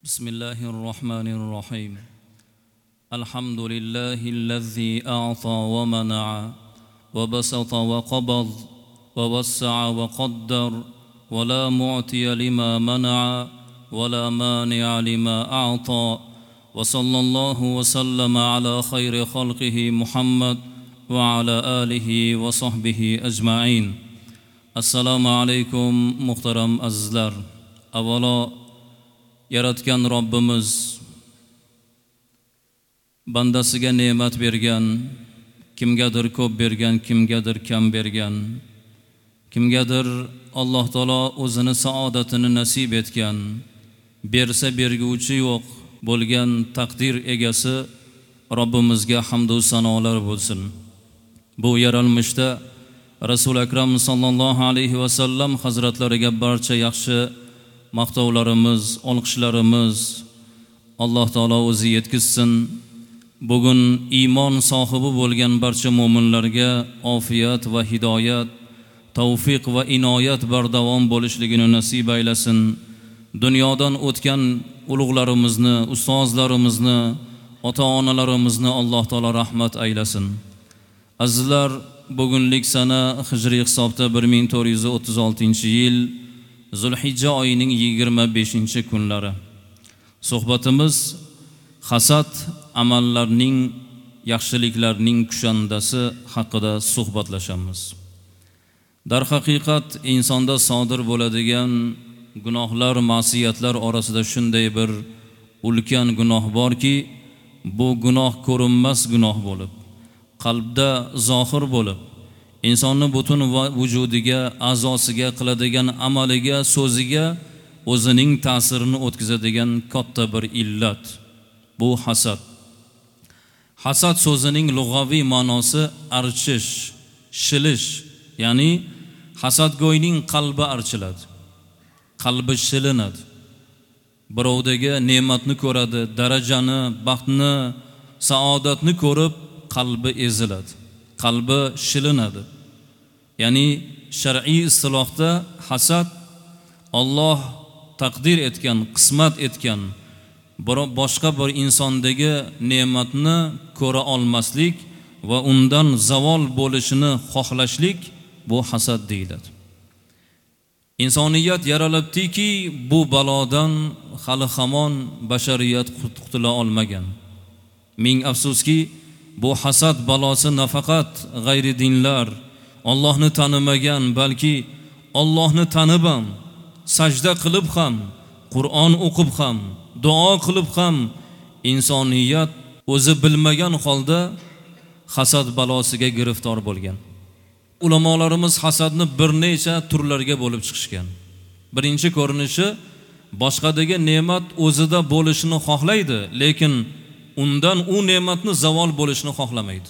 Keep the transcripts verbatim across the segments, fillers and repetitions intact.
بسم الله الرحمن الرحيم. الحمد لله الذي أعطى ومنع وبسط وقبض ووسع وقدر ولا معطي لما منع ولا مانع لما أعطى، وصلى الله وسلم على خير خلقه محمد وعلى آله وصحبه أجمعين. السلام عليكم muhtaram azizlar. Avvalo yaratgan Robbimiz bandasiga ne'mat bergan, kimgadir ko'p bergan, kimgadir kam bergan, kimgadir Alloh taolo o'zini saodatini nasib etgan, bersa berguvchi yo'q bo'lgan taqdir egasi Robbimizga hamd va sanolar bo'lsin. Bu yaralmishda Rasul Akram sallallohu alayhi va sallam hazratlariga barcha yaxshi maqtovlarimiz, olqishlarimiz Alloh taolo o'zi yetkazsin. Bugun iymon sohibi bo'lgan barcha mo'minlarga ofiyat va hidoyat, tavfiq va inoyat bardavom bo'lishligini nasib aylasin. Dunyodan o'tgan ulug'larimizni, ustozlarimizni, ota-onalarimizni Alloh taolo rahmat aylasin. Azizlar, bugunlik sana hijriy hisobda bir ming to'rt yuz o'ttiz oltinchi yil Zulhijja oyining yigirma beshinchi kunlari. Suhbatimiz hasad amallarning, yaxshiliklarning kushandasi haqida suhbatlashamiz. Darhaqiqat insonda sodir bo'ladigan gunohlar, ma'siyatlar orasida shunday bir ulkan gunoh borki, bu gunoh ko'rinmas gunoh bo'lib, qalbda zohir bo'lib, insonni butun vujudiga, a'zosiga, qiladigan amaliga, so'ziga o'zining ta'sirini o'tkazadigan katta bir illat. Bu hasad. Hasad so'zining lug'aviy ma'nosi archish, shilish, ya'ni hasadgo'yning qalbi archiladi, qalbi shilinadi. Birovdagi ne'matni ko'radi, darajani, baxtni, saodatni ko'rib qalbi eziladi, qalbi shilinadi. Ya'ni shar'iy istilohda hasad Alloh taqdir etgan, qismat etgan boshqa bir insondagi ne'matni ko'ra olmaslik va undan zavol bo'lishini xohlashlik, bu hasad deyiladi. Insoniyat yaralibdiki, bu balodan hali hamon bashariyat qutula olmagan. Ming afsuski, bu hasad balosi nafaqat g'ayri dinlar, Allohni tanimagan, balki Allohni tanib ham, sajda qilib ham, Qur'on o'qib ham, duo qilib ham insoniyat o'zi bilmagan holda hasad balosiga giriftor bo'lgan. Ulamolarimiz hasadni bir necha turlarga bo'lib chiqishgan. Birinchi ko'rinishi, boshqadagi ne'mat o'zida bo'lishini xohlaydi, lekin undan u ne'matni zavol bo'lishini xohlamaydi.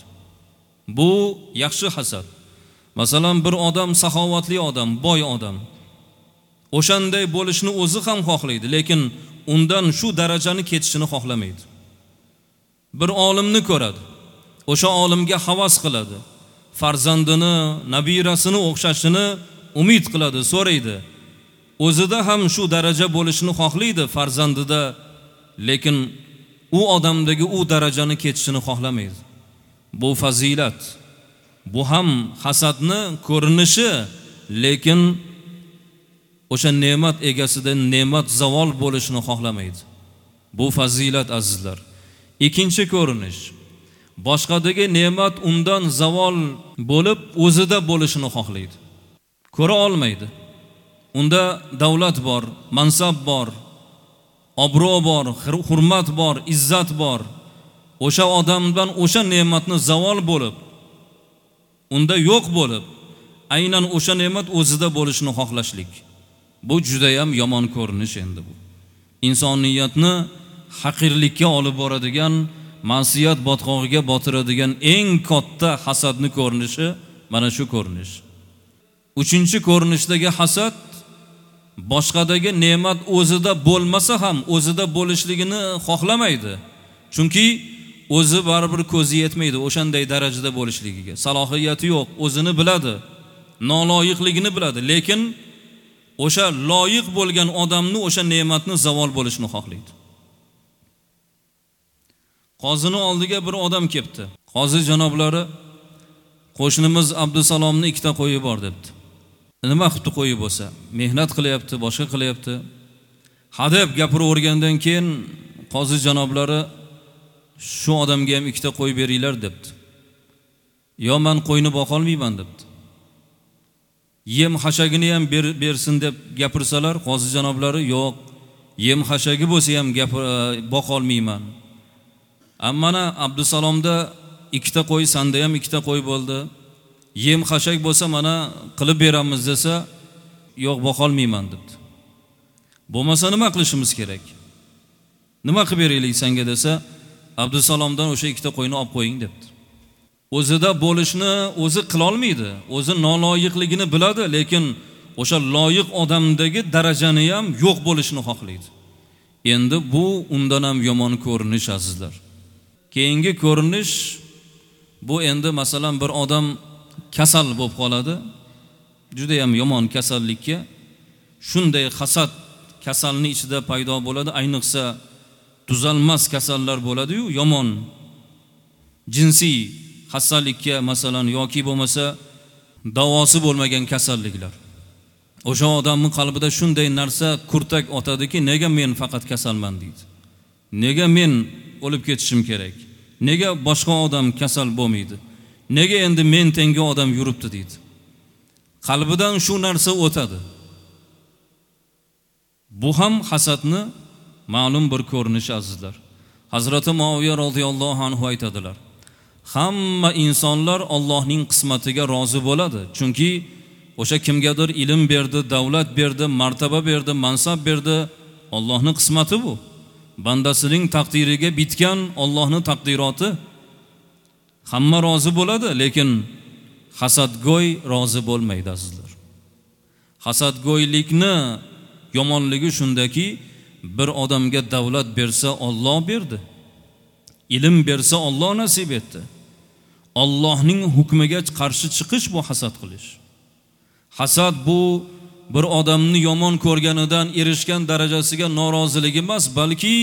Bu yaxshi hasad. Masalan, bir odam saxovatli odam, boy odam. O'shanday bo'lishini o'zi ham xohlaydi, lekin undan shu darajani ketishini xohlamaydi. Bir olimni ko'radi, o'sha olimga havas qiladi, farzandini, nabirasini o'xshashini umid qiladi, so'raydi. O'zida ham shu daraja bo'lishini xohlaydi farzandida, lekin u odamdagi u darajani ketishini xohlamaydi. Bu fazilat. Bu ham hasadni ko'rinishi, lekin o'sha ne'mat egasidan ne'mat zavol bo'lishini xohlamaydi. Bu fazilat azizlar. Ikkinchi ko'rinish, boshqadagi ne'mat undan zavol bo'lib o'zida bo'lishini xohlaydi. Ko'ra olmaydi. Unda davlat bor, mansab bor, obro' bor, hurmat bor, izzat bor. O'sha odamdan o'sha ne'matni zavol bo'lib, unda yo'q bo'lib, aynan o'sha ne'mat o'zida bo'lishini xohlashlik. Bu juda ham yomon ko'rinish endi bu. Insoniyatni haqirlikka olib boradigan, ma'siyat botqog'iga botiradigan eng katta hasadni ko'rinishi mana shu ko'rinish. Uchinchi ko'rinishdagi hasad, boshqadagi ne'mat o'zida bo'lmasa ham o'zida bo'lishligini xohlamaydi. Chunki o'zi baribir ko'zi yetmaydi o'shanday darajada bo'lishligiga. Salohiyati yo'q, o'zini biladi, noloyiqligini biladi, lekin o'sha loyiq bo'lgan odamni o'sha ne'matni zavol bo'lishini xohlaydi. Qozini oldiga bir odam kelibdi. Qozi janoblari, qo'shnimiz Abdusalomni ikkita qo'yi bor debdi. Nima qilibdi qo'yi bo'lsa? Mehnat qilyapti, boshqa qilyapti. Hadeb gapiravergandan keyin qozi janoblari shu odamga ham ikkita qo'y beringlar debdi. Yo men qo'yni boqa olmayman debdi. Yem hashagini ham ber, bersin deb gapirsalar, qozi janoblari yo'q, yem hashagi bo'lsa ham gapir boqa olmayman. Ammo mana Abdusalomda ikkita qo'y, senda ham ikkita qo'y bo'ldi. Yem hashak bo'lsa mana qilib beramiz desa, yo'q boqa olmayman debdi. Bo'lmasa nima qilishimiz kerak? Nima qilib beraylik senga desa, Abdusalomdan o'sha ikkita qo'yni olib qo'ying debdi. O'zida bo'lishni o'zi qila olmaydi, o'zi noloyiqligini biladi, lekin o'sha loyiq odamdagi darajani ham yo'q bo'lishini xohlaydi. Endi bu undan ham yomon ko'rinish azizlar. Keyingi ko'rinish bu endi masalan bir odam kasal bo'lib qoladi, juda ham yomon kasallikka, shunday hasad kasalni ichida paydo bo'ladi, ayniqsa tuzalmas kasallar bo'ladi-yu, yomon jinsiy xastalikka masalan yoki bo'lmasa davosi bo'lmagan kasalliklar. O'sha odamning qalbida shunday narsa kurtak otadiki, nega men faqat kasalman deydi. Nega men o'lib ketishim kerak? Nega boshqa odam kasal bo'lmaydi? Nega endi men tengi odam yuribdi deydi. Qalbidan shu narsa o'tadi. Bu ham hasadni ma'lum bir ko'rinishi azizlar. Hazrati Muaviya radhiyallohu anhu aytadilar: hamma insonlar Allohning qismatiga rozi bo'ladi. Chunki o'sha kimgadir ilm berdi, davlat berdi, martaba berdi, mansab berdi, Allohning qismati bu. Bandasining taqdiriga bitgan Allohning taqdiroti. Hamma rozi bo'ladi, lekin hasadgo'y rozi bo'lmaydi azizlar. Hasadgo'ylikni yomonligi shundaki, bir odamga davlat bersa Alloh berdi, ilm bersa Alloh nasib etdi. Allohning hukmiga qarshi chiqish bu hasad qilish. Hasad bu bir odamni yomon ko'rganidan erishgan darajasiga norozilik emas, balki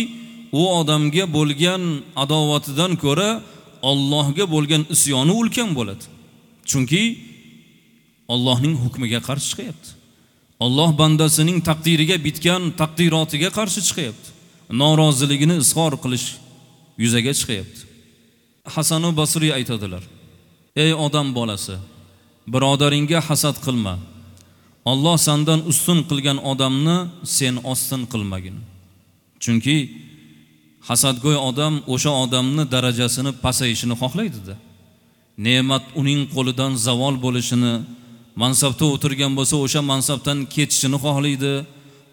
u odamga bo'lgan adovatidan ko'ra Allohga bo'lgan isyoni ulkan bo'ladi. Chunki Allohning hukmiga qarshi chiqyapti. Alloh bandasining taqdiriga bitgan taqdirotiga qarshi chiqyapti. Noroziligini izhor qilish yuzaga chiqyapti. Hasan-u Basriy aytadilar: ey odam bolasi, birodaringga hasad qilma. Alloh sendan ustun qilgan odamni sen ostin qilmagin. Chunki hasadgo'y odam o'sha odamni darajasini pasayishini xohlaydi-da. Ne'mat uning qo'lidan zavol bo'lishini, mansabda o'tirgan bo'lsa o'sha mansabdan ketishini xohlaydi,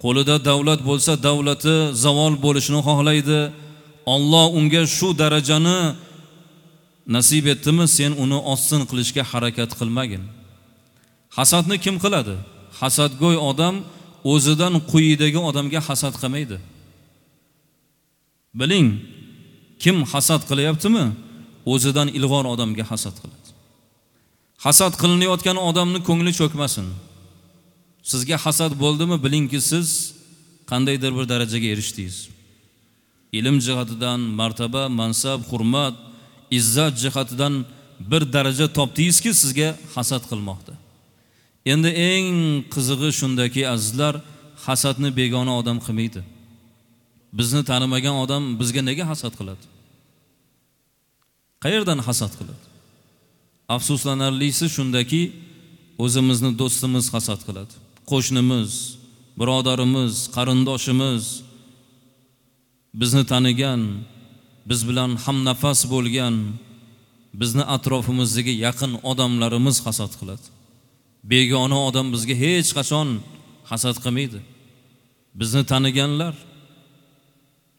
qo'lida davlat bo'lsa davlati zavol bo'lishini xohlaydi. Alloh unga shu darajani nasib etdimi, sen uni ostin qilishga harakat qilmagin. Hasadni kim qiladi? Hasadgo'y odam o'zidan quyidagi odamga hasad qilmaydi. Biling, kim hasad qilyaptimi, o'zidan ilg'or odamga hasad qiladi. Hasad qilinayotgan odamni ko'ngli cho'kmasin. Sizga hasad bo'ldimi, bilingki siz qandaydir bir darajaga erishdingiz. Ilm jihatidan, martaba, mansab, hurmat, izzat jihatidan bir daraja topdingizki, sizga hasad qilmoqda. Endi eng qizig'i shundaki azizlar, hasadni begona odam qilmaydi. Bizni tanimagan odam bizga nega hasad qiladi? Qayerdan hasad qiladi? Afsuslanarlisi shundaki, o'zimizni do'stimiz hasad qiladi. Qo'shnimiz, birodarimiz, qarindoshimiz, bizni tanigan, biz bilan hamnafas bo'lgan, bizni atrofimizdagi yaqin odamlarimiz hasad qiladi. Begona odam bizga hech qachon hasad qilmaydi. Bizni taniganlar,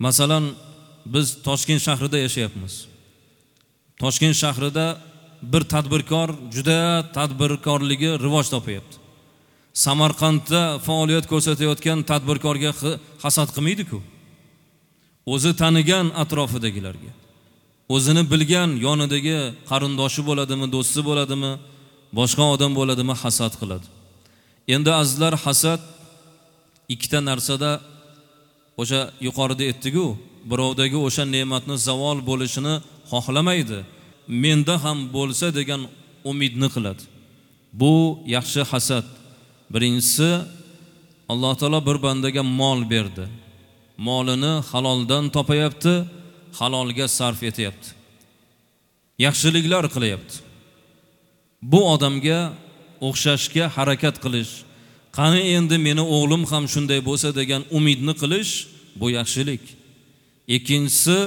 masalan, biz Toshkent shahrida yashayapmiz. Toshkent shahrida bir tadbirkor juda tadbirkorligi rivoj topyapti. Samarqandda faoliyat ko'rsatayotgan tadbirkorga hasad qilmaydi-ku. O'zi tanigan atrofidagilarga, o'zini bilgan yonidagi qarindoshi bo'ladimi, do'sti bo'ladimi, boshqa odam bo'ladimi, hasad qiladi. Endi azizlar, hasad ikkita narsada o'sha yuqorida aytdik-ku, birovdagi o'sha ne'matni zavol bo'lishini xohlamaydi. Menda ham bo'lsa degan umidni qiladi. Bu yaxshi hasad. Birinchisi, Alloh taolo bir bandaga mol berdi. Molini haloldan topayapti, halolga sarf etyapti. Yaxshiliklar qilyapti. Bu odamga o'xshashga harakat qilish, qani endi meni o'g'lim ham shunday bo'lsa degan umidni qilish, bu yaxshilik. Ikkinchisi,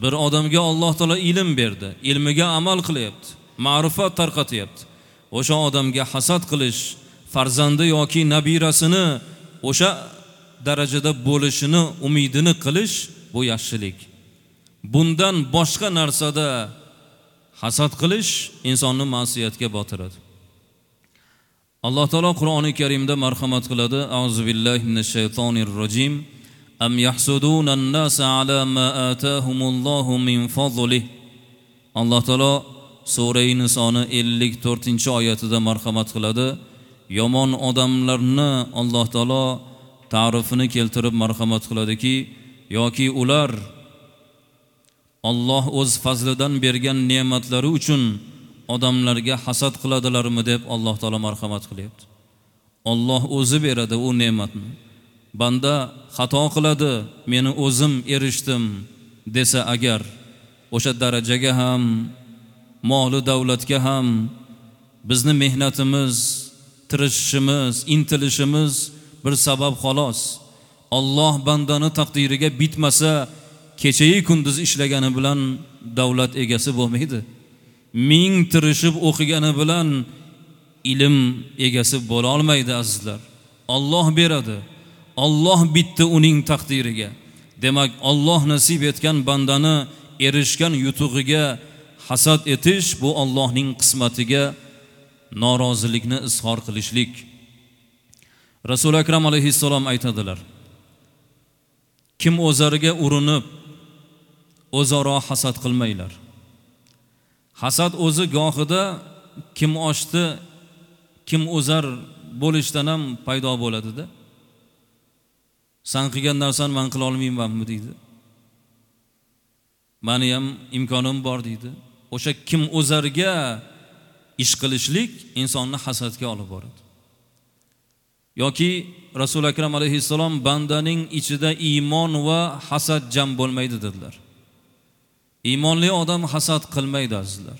bir odamga Alloh taolo ilm berdi, ilmiga amal qilyapti, ma'rifat tarqatyapti. O'sha odamga hasad qilish, farzandi yoki nabirasini o'sha darajada bo'lishini umidini qilish, bu yaxshilik. Bundan boshqa narsada hasad qilish insonni ma'siyatga botiradi. Alloh taolo Qur'oni Karimda marhamat qiladi. A'uzu billahi minash shaytonir rojim. Am yahsuduna an-nasa ala ma atahumullohu min fadlihi. Alloh taolo sura Nisoni ellik to'rtinchi oyatida marhamat qiladi. Yomon odamlarni Alloh taolo ta'rifini keltirib marhamat qiladiki, yoki ular Alloh o'z fazlidan bergan ne'matlari uchun odamlarga hasad qiladilarmi deb Alloh taolo marhamat qilyapti. Alloh o'zi beradi u ne'matni. Banda xato qiladi, meni o'zim erishdim desa agar, o'sha darajaga ham, moli davlatga ham bizni mehnatimiz, tirishishimiz, intilishimiz bir sabab xolos. Alloh bandani taqdiriga bitmasa, kechayi kunduz ishlagani bilan davlat egasi bo'lmaydi. Ming tirishib o'qigani bilan ilm egasi bo'la olmaydi azizlar. Alloh beradi. Alloh bitdi uning taqdiriga. Demak, Alloh nasib etgan bandani erishgan yutug'iga hasad etish, bu Allohning qismatiga norozilikni izhor qilishlik. Rasul Akram alayhissalom aytadilar: kim o'zariga urinib o'zaro hasad qilmanglar. Hasad o'zi gohida kim oshdi, kim o'zar bo'lishdan ham paydo bo'ladi-da. San qilgan narsani men qila olmaymanmi deydi. Meni ham imkonim bor deydi. O'sha kim o'zarga ish qilishlik insonni hasadga olib boradi. Yoki Rasul Akram alayhissalom bandaning ichida iymon va hasad jam bo'lmaydi dedilar. Iymonli odam hasad qilmaydi azizlar.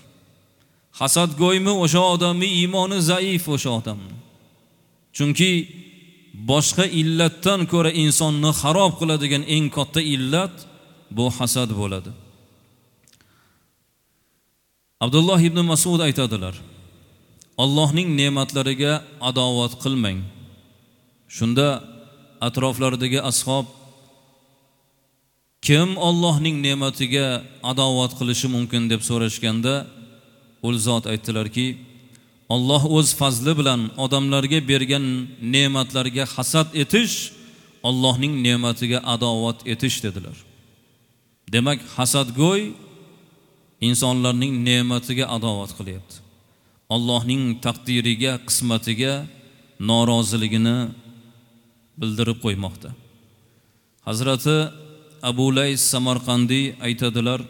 Hasadgo'ymi o'sha odamning iymoni zaif o'sha odamni. Chunki boshqa illatdan ko'ra insonni xarob qiladigan eng katta illat bu hasad bo'ladi. Abdulloh ibn Mas'ud aytadilar: Allohning ne'matlariga adovat qilmang. Shunda atroflaridagi ashob kim Allohning ne'matiga adovat qilishi mumkin deb so'rashganda, ul zot aytdilarki, Alloh o'z fazli bilan odamlarga bergan ne'matlarga hasad etish Allohning ne'matiga adovat etish dedilar. Demak, hasadgo'y insonlarning ne'matiga adovat qilyapti. Allohning taqdiriga, qismatiga noroziligini bildirib qo'ymoqda. Hazrati Abu Lays Samarqandiy aytadilar: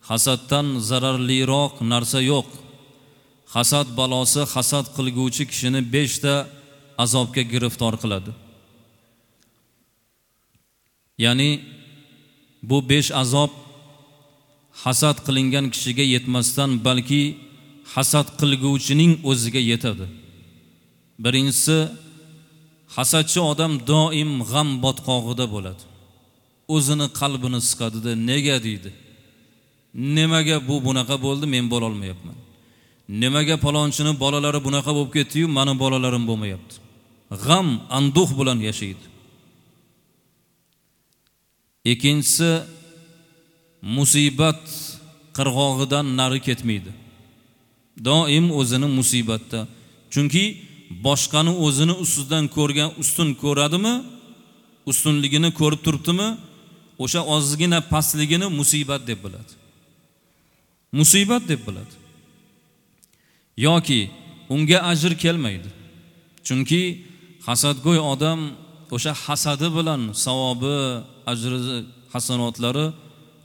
hasaddan zararliroq narsa yo'q. Hasad balosi hasad qilguvchi kishini beshta azobga giriftor qiladi. Ya'ni bu besh azob hasad qilingan kishiga yetmasdan, balki hasad qilguvchining o'ziga yetadi. Birinchisi, hasadchi odam doim g'am botqog'ida bo'ladi. O'zini qalbini siqadida, nega deydi. Nimaga bu bunaqa bo'ldi, men bo'la olmayapman. Nimaga palonchini bolalari bunaqa bo'lib ketdi-yu, meni bolalarim bo'lmayapti. G'am, anduh bilan yashaydi. Ikkinchisi, musibat qirg'og'idan nari ketmaydi. Doim o'zini musibatda. Chunki boshqani o'zini ustidan ko'rgan, ustun ko'radimi? Ustunligini ko'rib turibdimi? O'sha ozgina pastligini musibat deb biladi. Musibat deb biladi. Yoki unga ajr kelmaydi. Chunki hasadgo'y odam o'sha hasadi bilan savobi, ajri hasanotlari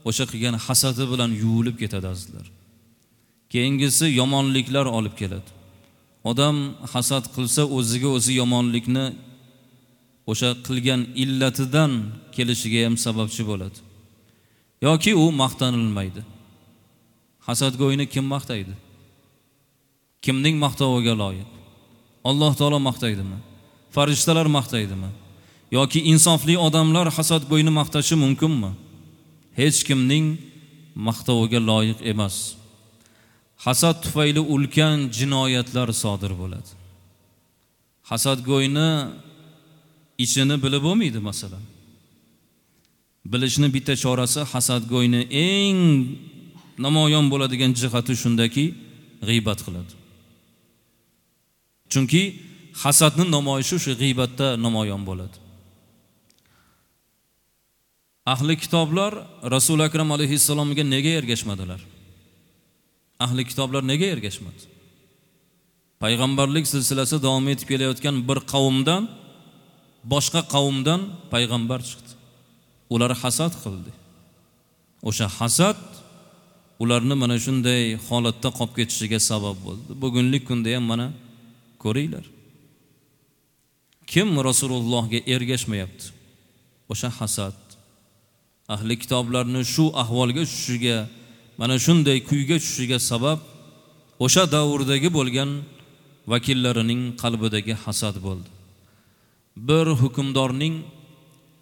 o'sha qilgan hasadi bilan yuvilib ketadi azizlar. Keyingisi yomonliklar olib keladi. Odam hasad qilsa o'ziga o'zi yomonlikni o'sha qilgan illatidan kelishiga ham sababchi bo'ladi. Yoki u maqtanilmaydi. Hasadgo'yni kim maqtaydi? Kimning maqtoviga loyiq? Alloh taolo maqtaydimi? Farishtalar maqtaydimi? Yoki insofli odamlar hasadgo'yni maqtashi mumkinmi? Hech kimning maqtoviga loyiq emas. Hasad tufayli ulkan jinoyatlar sodir bo'ladi. Hasadgo'yni ichini bilib bo'lmaydi masalan. Bilishni bitta chorasi hasadgo'yni eng namoyon bo'ladigan jihati shundaki, g'iybat qiladi. Chunki hasadning namoyishi shu g'iybatda namoyon bo'ladi. Ahli kitoblar Rasul Akram alayhissalomga nega ergashmadilar? Ahli kitoblar nega ergashmadi? Payg'ambarlik silsilasi davom etib kelayotgan bir qavmdan boshqa qavmdan payg'ambar chiqdi. Ular hasad qildi. O'sha hasad ularni mana shunday holatda qolib ketishiga sabab bo'ldi. Bugungi kunda ham mana ko'ringlar. Kim Rasulullohga ergashmayapti? O'sha hasad ahli kitoblarni shu ahvolga tushishiga, mana shunday kuyga tushishiga sabab o'sha davrdagi bo'lgan vakillarining qalbidagi hasad bo'ldi. Bir hukmdorning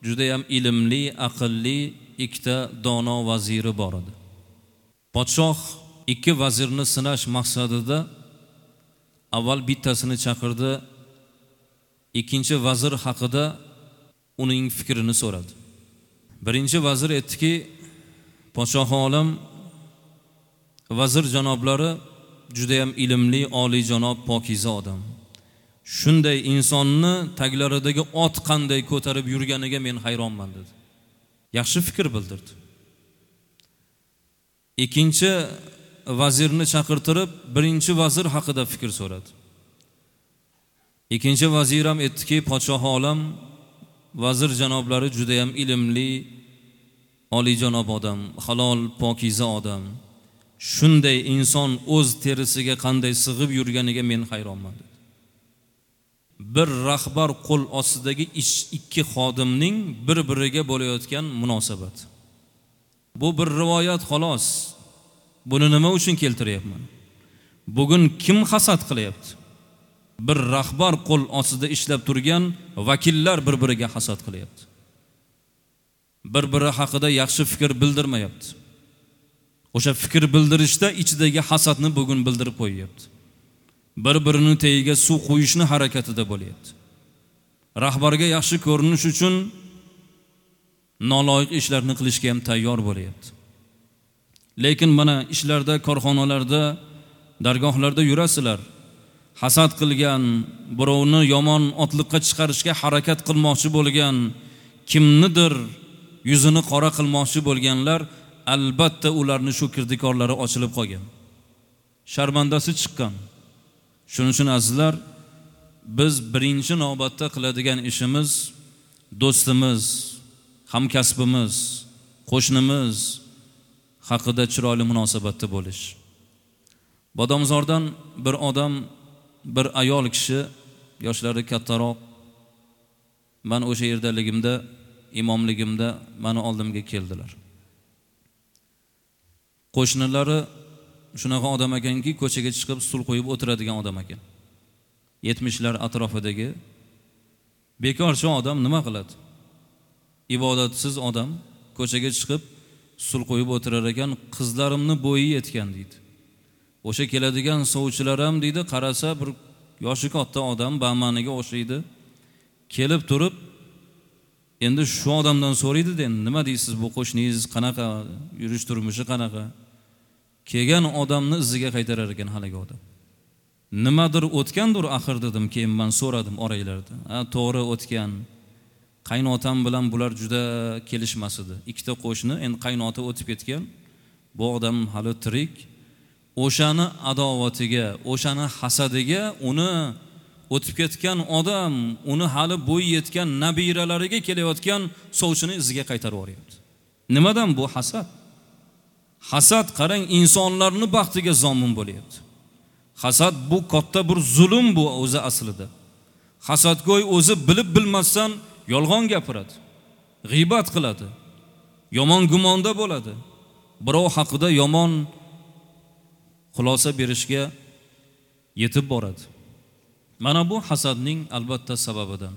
juda ham ilmli, aqlli ikkita dono vaziri bor edi. Podshoh ikki vazirni sinash maqsadida avval bittasini chaqirdi, ikkinchi vazir haqida uning fikrini so'radi. Birinchi vazir aytdiki, podshoh olam, vazir janoblari juda ham ilmli, oliyjanob, pokiza odam. Shunday insonni taglaridagi ot qanday ko'tarib yurganiga men hayronman dedi. Yaxshi fikr bildirdi. Ikkinchi vazirni chaqirtirib, birinchi vazir haqida fikr so'radi. Ikkinchi vazir ham aytdiki, podshoh olam, vazir janoblari juda ham ilmli, oliyjanob odam, halol, pokiza odam. Shunday inson o'z terisiga qanday sig'ib yurganiga men hayronman dedi. Bir rahbar qo'l ostidagi ish ikki xodimning bir-biriga bo'layotgan munosabat. Bu bir rivoyat xolos. Buni nima uchun keltiryapman? Bugun kim hasad qilyapti? Bir rahbar qo'l ostida ishlab turgan vakillar bir-biriga hasad qilyapti. Bir-biri haqida yaxshi fikr bildirmayapti. O'sha fikr bildirishda ichidagi hasadni bugun bildirib qo'yyapti. Bir-birini tagiga suv quyishni harakatida bo'lyapti. Rahbarga yaxshi ko'rinish uchun noloyiq ishlarni qilishga ham tayyor bo'lyapti. Lekin mana ishlarda, korxonalarda, dargohlarda yurasizlar. Hasad qilgan, birovni yomon otliqqa chiqarishga harakat qilmoqchi bo'lgan, kimnidir yuzini qora qilmoqchi bo'lganlar, albatta ularni shu kirdikorlari ochilib qolgan. Sharmandasi chiqqan. Shuning uchun azizlar, biz birinchi navbatda qiladigan ishimiz do'stimiz, hamkasbimiz, qo'shnimiz haqida chiroyli munosabatda bo'lish. Bodomzordan bir odam, bir ayol kishi, yoshlari kattaroq, men o'sha yerdaligimda, imomligimda meni oldimga keldilar. Qo'shnilari shunaqa odam ekanki, ko'chaga chiqib stul qo'yib o'tiradigan odam ekan. yetmishlar atrofidagi bekorchi odam nima qiladi? Ibodatsiz odam ko'chaga chiqib stul qo'yib o'tirar ekan, qizlarimni bo'yi yetgan deydi. O'sha keladigan sovchilar ham deydi, qarasa bir yoshi katta odam ba'maniga o'xshaydi. Kelib turib endi shu odamdan so'raydi, endi nima deysiz, bu qo'shningiz qanaqa, yurish turmushi qanaqa? Kelgan odamni iziga qaytarar ekan haligi odam. Nimadir o'tgandir axir dedim, keyin men so'radim oranglarda. Ha, to'g'ri o'tgan. Qaynotam bilan bular juda kelishmas edi. Ikkita qo'shni, endi qaynota o'tib ketgan. Bu odam hali tirik. O'shani adovatiga, o'shani hasadiga uni o'tib ketgan odam, uni hali bo'yi yetgan nabiralariga kelayotgan sovchini iziga qaytarib yuboryapti. Nimadan bu hasad? Hasad, qarang, insonlarni baxtiga zomin bo'lyapti. Hasad bu katta bir zulm bu o'zi aslida. Hasadgo'y o'zi bilib bilmasdan yolg'on gapiradi, g'iybat qiladi, yomon gumonda bo'ladi. Birov haqida yomon xulosa berishga yetib boradi. Mana bu hasadning albatta sababidan.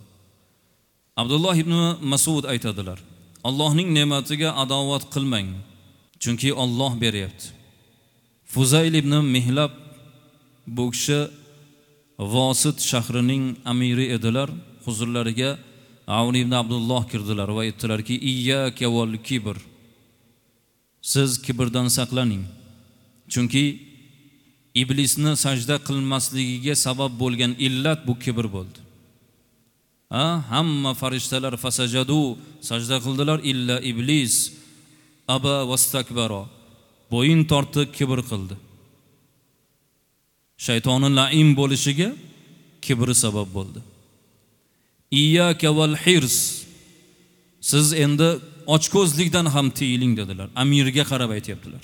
Abdulloh ibn Mas'ud aytadilar: Allohning ne'matiga adovat qilmang, chunki Alloh beryapti. Fuzayl ibn Mihlab, bu kishi Vosit shahrining amiri edilar. Huzurlariga Avn ibn Abdulloh kirdilar va aytdilarki: "Iyyaka val kibr." Siz kibrdan saqlaning. Chunki iblisni sajda qilmasligiga sabab bo'lgan illat bu kibr bo'ldi. Ha, hamma farishtalar fasajadu, sajda qildilar, illa iblis aba vastakbara. Bo'yin tortdi, kibr qildi. Shaytoning la'im bo'lishiga kibri sabab bo'ldi. Iyyaka val hirs. Siz endi ochko'zlikdan ham tiyiling dedilar. Amirga qarab aytayaptilar.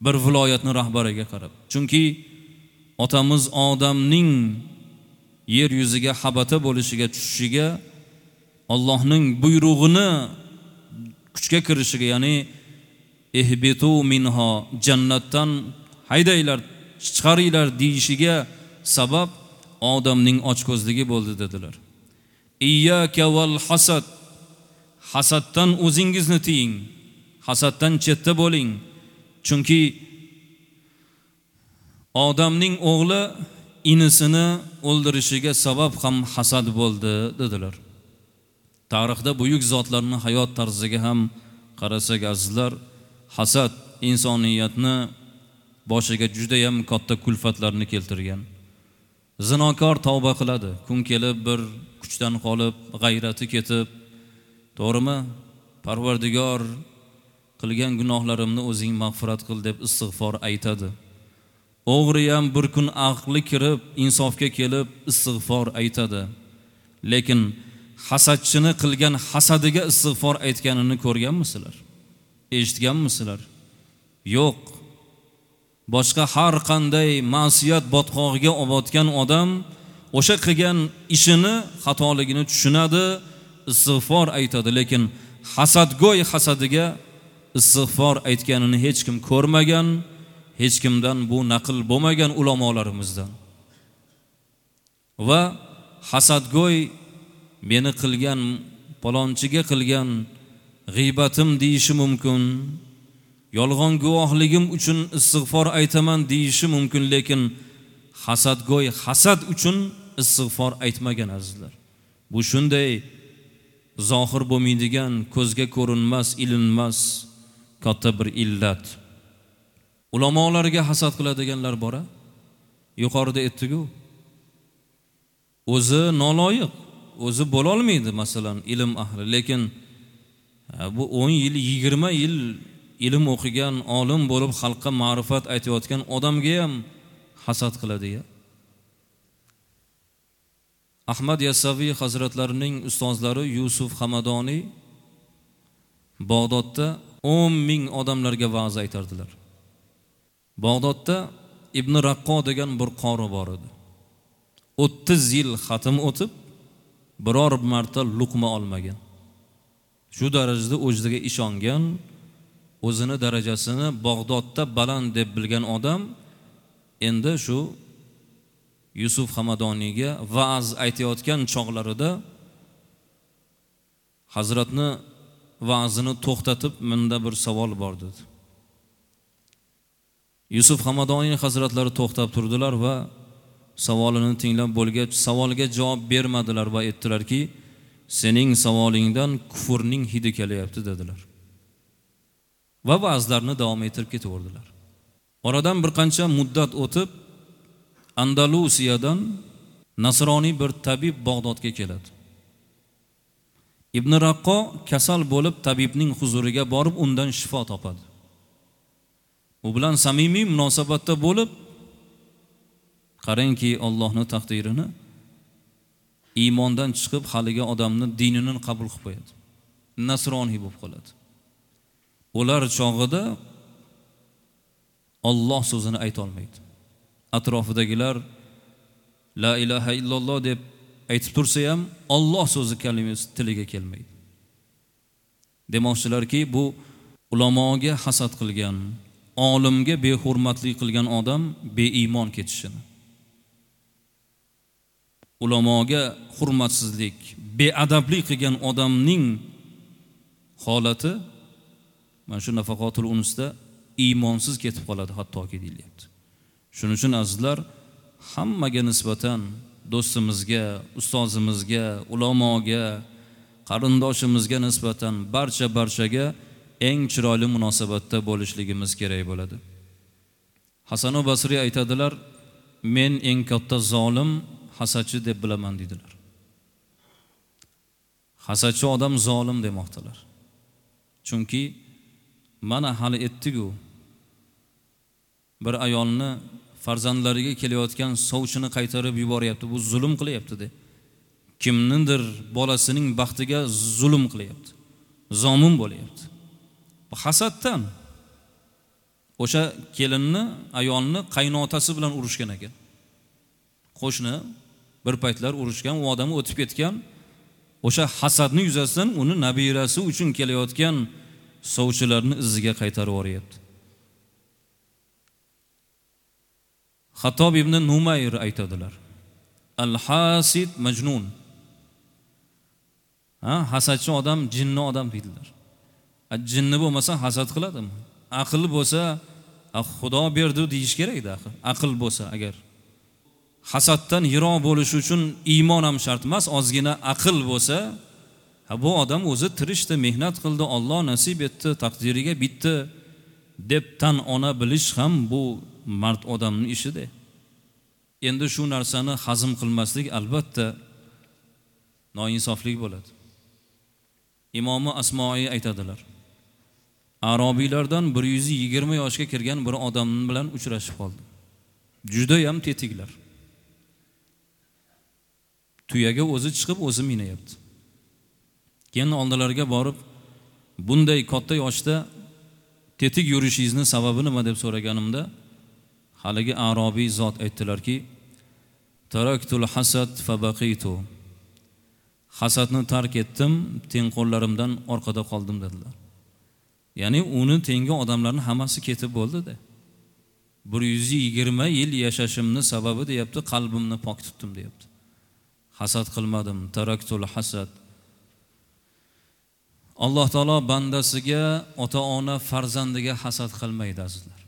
Bir viloyatni rahbariga qarab. Chunki otamiz Odamning yer yuziga habata bo'lishiga, tushishiga, Allohning buyrug'ini kuchga kirishiga, ya'ni ihbitu minha, jannatdan haydanglar, chiqaringlar deyishiga sabab odamning ochko'zligi bo'ldi dedilar. Iyyaka val hasad. Hasaddan o'zingizni tiying. Hasaddan chetda bo'ling. Chunki odamning o'g'li inisini o'ldirishiga sabab ham hasad bo'ldi dedilar. Tarixda buyuk zotlarning hayot tarziga ham qarasak azizlar, hasad insoniyatni boshiga juda ham katta kulfatlarni keltirgan. Zinokor tavba qiladi, kun kelib bir kuchdan qolib, g'ayrati ketib, to'g'rimi? Parvardigor, qilgan gunohlarimni o'zing mag'firat qil deb istig'for aytadi. O'g'ri ham bir kun aqli kirib, insofga kelib istig'for aytadi. Lekin hasadchini qilgan hasadiga istig'for aytganini ko'rganmisizlar? Eshitganmisizlar? Yo'q. Boshqa har qanday ma'siyat botqog'iga botgan odam o'sha qilgan ishini xatoligini tushunadi, istig'for aytadi, lekin hasadgo'y hasadiga istig'for aytganini hech kim ko'rmagan, hech kimdan bu naql bo'lmagan ulamolarimizdan. Va hasadgo'y meni qilgan, palonchiga qilgan g'iybatim deyishi mumkin, yolg'on guvohligim uchun istig'for aytaman deyishi mumkin, lekin hasadgo'y hasad uchun istig'for aytmagan azizlar. Bu shunday zohir bo'lmaydigan, ko'zga ko'rinmas, ilinmas katta bir illat. Ulamolarga hasad qiladiganlar bor-a? Yuqorida aytdik-ku. O'zi noloyiq, o'zi bo'la olmaydi masalan ilm ahli, lekin bu o'n yil, yigirma yil ilm o'qigan, olim bo'lib xalqqa ma'rifat aytayotgan odamga ham hasad qiladi-ya. Ahmad Yassaviy hazratlarining ustozlari Yusuf Hamadoniy Bag'dodda o'n ming odamlarga va'z aytardilar. Bag'dodda Ibn Raqqo degan bir qori bor edi. o'ttiz yil xatm o'tib, biror marta luqma olmagan. Shu darajada o'ziga ishongan, o'zini darajasini Bag'dodda baland deb bilgan odam endi shu Yusuf Hamadoniyga va'z aytayotgan chog'larida hazratni va'zini to'xtatib, menda bir savol bor dedi. Yusuf Hamadoniy hazratlari to'xtab turdilar va savolini tinglab bo'lgach, savolga javob bermadilar va aytdilarki, sening savolingdan kufrning hidi kelyapti dedilar. Va va'zlarni davom ettirib ketaverdilar. Oradan bir qancha muddat o'tib, Andalusiyadan nasroniy bir tabib Bag'dodga keladi. Ibn Raqqo kasal bo'lib tabibning huzuriga borib undan shifo topadi. U bilan samimiy munosabatda bo'lib, qarangki Allohning taqdirini, iymondan chiqib haligi odamni dinini qabul qilib qo'yadi. nasroniy bo'lib qoladi. Ular chog'ida Alloh so'zini ayta olmaydi. Atrofidagilar la ilaha illalloh deb aytib tursa ham Alloh so'zi kalimasi tiliga kelmaydi. Demoqchilarki, bu ulamoga hasad qilgan, olimga behurmatlik qilgan odam beiymon ketishini. Ulamoga hurmatsizlik, beadablik qilgan odamning holati mana shu nafaqatul unusda iymonsiz ketib qoladi hattoki deyilyapti. Shuning uchun azizlar, hammaga nisbatan do'stimizga, ustozimizga, ulamoga, qarindoshimizga nisbatan barcha barchaga eng chiroyli munosabatda bo'lishligimiz kerak bo'ladi. Hasan Basriy aytadilar, men eng katta zolim hasadchi deb bilaman dedilar. Hasadchi odam zolim demoqdilar. Chunki mana hali etdi-ku, bir ayolni farzandlariga kelayotgan sovchini qaytarib yuboryapti, bu zulm qilyapti de. Kimnindir bolasining baxtiga zulm qilyapti, zomin bo'lyapti. Bu hasaddan o'sha kelinni, ayolni qaynotasi bilan urushgan ekan. Qo'shni bir paytlar urushgan, u odam o'tib ketgan. O'sha hasadni yuzasidan uni nabirasi uchun kelayotgan sovchilarni iziga qaytarib yuboryapti. Xattob ibn Numayr aytadilar: Al-hasid majnun. Ha, hasadchi odam jinni odam deydilar. Jinni bo'lmasa hasad qiladimi? Aql bo'lsa, Xudo berdi deyish kerak-da axir. Aql bo'lsa agar. Hasaddan yiroq bo'lish uchun iymon ham shart emas, ozgina aql bo'lsa, ha, bu odam o'zi tirishdi, mehnat qildi, Alloh nasib etdi, taqdiriga bitdi deb tan ona bilish ham bu mard odamning ishida. Endi shu narsani hazm qilmaslik albatta noinsoflik bo'ladi. Imomi Asmoiy aytadilar: Arabiylardan bir yuz yigirma yoshga kirgan bir odam bilan uchrashib qoldim. Juda ham tetiklar. Tuyaga o'zi chiqib o'zi minayapti. Keyin oldilariga borib, bunday katta yoshda tetik yurishingizni sababi nima deb so'raganimda, haligi arobiy zot aytdilarki, taraktul hasad fabaqitu. Hasadni tark etdim, tengqo'llarimdan orqada qoldim dedilar. Ya'ni uni tengi odamlarning hammasi ketib bo'ldi-da. bir yuz yigirma yil yashashimni sababi deyapti, qalbimni pok tutdim deyapti. Hasad qilmadim, taraktul hasad. Alloh taolo bandasiga, ota-ona farzandiga hasad qilmaydi azizlar.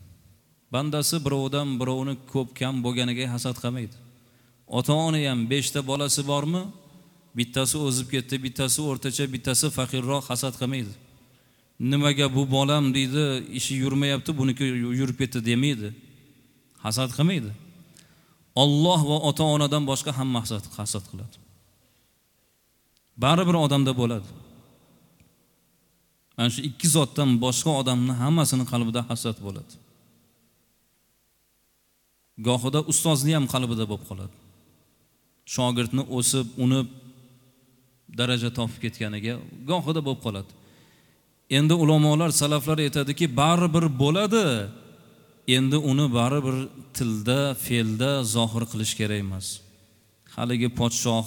Bandasi birovdan birovni ko'p kam bo'lganiga hasad qilmaydi. Ota-ona ham beshta bolasi bormi? Bittasi o'zib ketdi, bittasi o'rtacha, bittasi faqirroq, hasad qilmaydi. Nimaga bu bolam deydi, ishi yurmayapti, buniki yurib ketdi demaydi. Hasad qilmaydi. Alloh va ota-onadan boshqa hamma hasad, hasad qiladi. Baribir odamda bo'ladi. Mana shu ikki zotdan boshqa odamning hammasini qalbida hasad bo'ladi. Gohida ustozni ham qalbida bo'lib qoladi. Shogirdni o'sib, unib daraja topib ketganiga gohida bo'lib qoladi. Endi ulamolar, salaflar aytadiki, baribir bo'ladi. Endi uni baribir tilda, fe'lda zohir qilish kerak emas. Haligi podshoh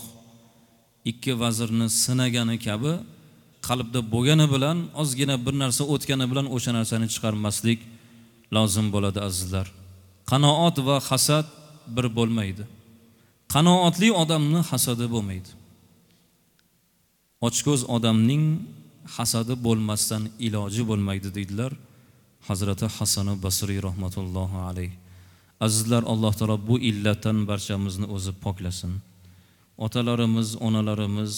ikki vazirni sinagani kabi qalbda bo'lgani bilan ozgina bir narsa o'tgani bilan o'sha narsani chiqarmaslik lozim bo'ladi azizlar. Qanoat va hasad bir bo'lmaydi. Qanoatli odamning hasadi bo'lmaydi. Ochko'z odamning hasadi bo'lmasdan iloji bo'lmaydi deydilar Hazrati Hasan Basriy rahmatullohi alayh. Azizlar, Alloh taolo bu illatdan barchamizni o'zi poklasin. Otalarimiz, onalarimiz,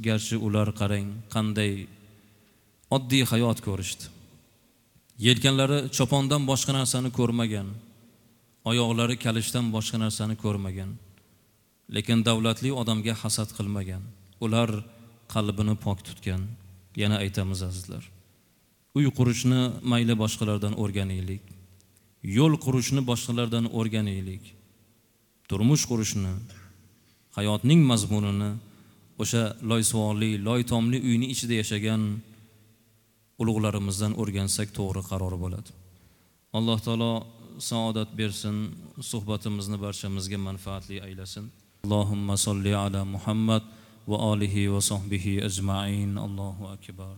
garchi ular qarang qanday oddiy hayot ko'rishdi. Yelkanlari chopondan boshqa narsani ko'rmagan, oyoqlari kalishdan boshqa narsani ko'rmagan, lekin davlatli odamga hasad qilmagan. Ular qalbini pok tutgan. Yana aytamiz azizlar, uy qurishni mayli boshqalardan o'rganaylik, yo'l qurishni boshqalardan o'rganaylik, turmush qurishni, hayotning mazmunini o'sha loysuvoqli, loy tomli uyning ichida yashagan ulug'larimizdan o'rgansak to'g'ri qaror bo'ladi. Alloh taolo saodat bersin, suhbatimizni barchamizga manfaatli aylasin. Allohumma solli ala Muhammad va alihi va sahbihi ajmain. Allohu akbar.